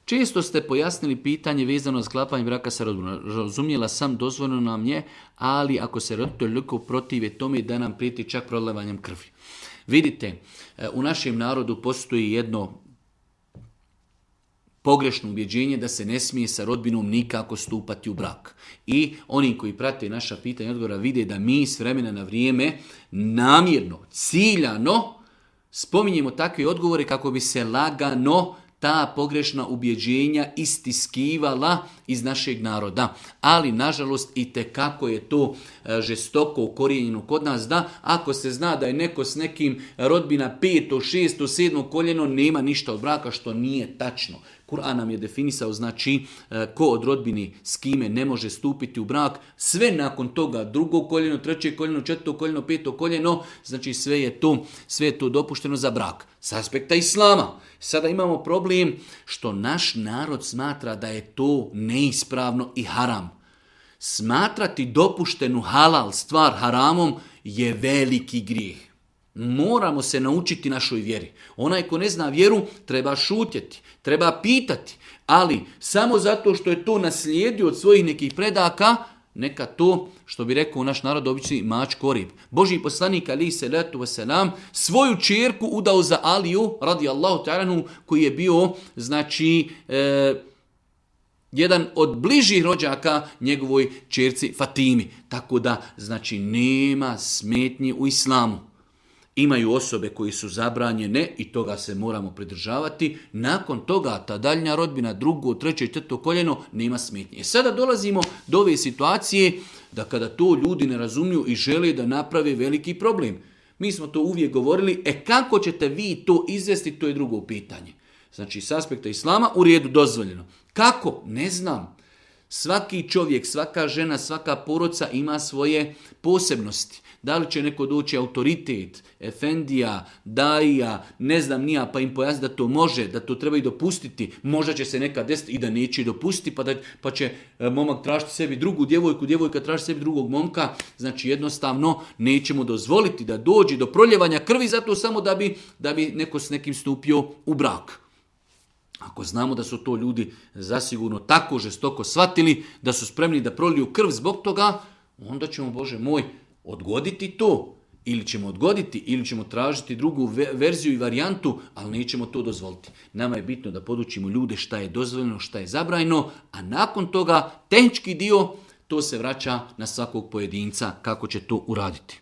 Često ste pojasnili pitanje vezano za sklapanje braka sa rodbinom. Razumjela sam, dozvoljeno nam je, ali ako se roditelj toliko protive tome da nam prijeti čak prolivanjem krvi. Vidite, u našem narodu postoji jedno pogrešno ubjeđenje da se ne smije sa rodbinom nikako stupati u brak. I oni koji prate naša pitanja i odgovora vide da mi s vremena na vrijeme namjerno, ciljano spominjemo takve odgovore kako bi se lagano ta pogrešna ubjeđenja istiskivala iz našeg naroda. Ali, nažalost, i tekako je to žestoko ukorijenjeno kod nas da ako se zna da je neko s nekim rodbina 5., 6., 7. koljeno, nema ništa od braka, što nije tačno. Kur'an nam je definisao, znači, ko od rodbini s kime ne može stupiti u brak, sve nakon toga, 2. koljeno, 3. koljeno, 4. koljeno, 5. koljeno, znači sve je to dopušteno za brak. S aspekta islama. Sada imamo problem što naš narod smatra da je to neispravno i haram. Smatrati dopuštenu halal stvar haramom je veliki grijeh. Moramo se naučiti našoj vjeri. Onaj ko ne zna vjeru treba šutjeti, treba pitati, ali samo zato što je to naslijedio od svojih nekih predaka, neka to, što bi rekao naš narod obični, mač korib. Božji poslanik alejhi selatu vesselam svoju ćerku udao za Aliju radijallahu ta'ala koji je bio, znači, jedan od bližih rođaka njegovoj ćerci Fatimi. Tako da, znači, nema smetnji u islamu. Imaju osobe koji su zabranjene i toga se moramo pridržavati. Nakon toga ta daljnja rodbina, 2., 3., 4. koljeno, nema smetnje. Sada dolazimo do ove situacije da kada to ljudi ne razumiju i žele da naprave veliki problem. Mi smo to uvijek govorili, kako ćete vi to izvesti, to je drugo pitanje. Znači, s aspekta islama u redu dozvoljeno. Kako? Ne znam. Svaki čovjek, svaka žena, svaka porodica ima svoje posebnosti. Da li će neko doći autoritet, efendija, daija, ne znam nija, pa im pojasniti da to može, da to treba i dopustiti. Možda će se nekad desiti i da neće dopustiti, pa će momak tražiti sebi drugu djevojku, djevojka traži sebi drugog momka. Znači jednostavno nećemo dozvoliti da dođe do proljevanja krvi zato samo da bi neko s nekim stupio u brak. Ako znamo da su to ljudi zasigurno tako žestoko shvatili, da su spremni da proliju krv zbog toga, onda ćemo, Bože moj, odgoditi to. Ili ćemo odgoditi, ili ćemo tražiti drugu verziju i varijantu, ali nećemo to dozvoliti. Nama je bitno da podučimo ljude šta je dozvoljeno, šta je zabranjeno, a nakon toga tehnički dio, to se vraća na svakog pojedinca kako će to uraditi.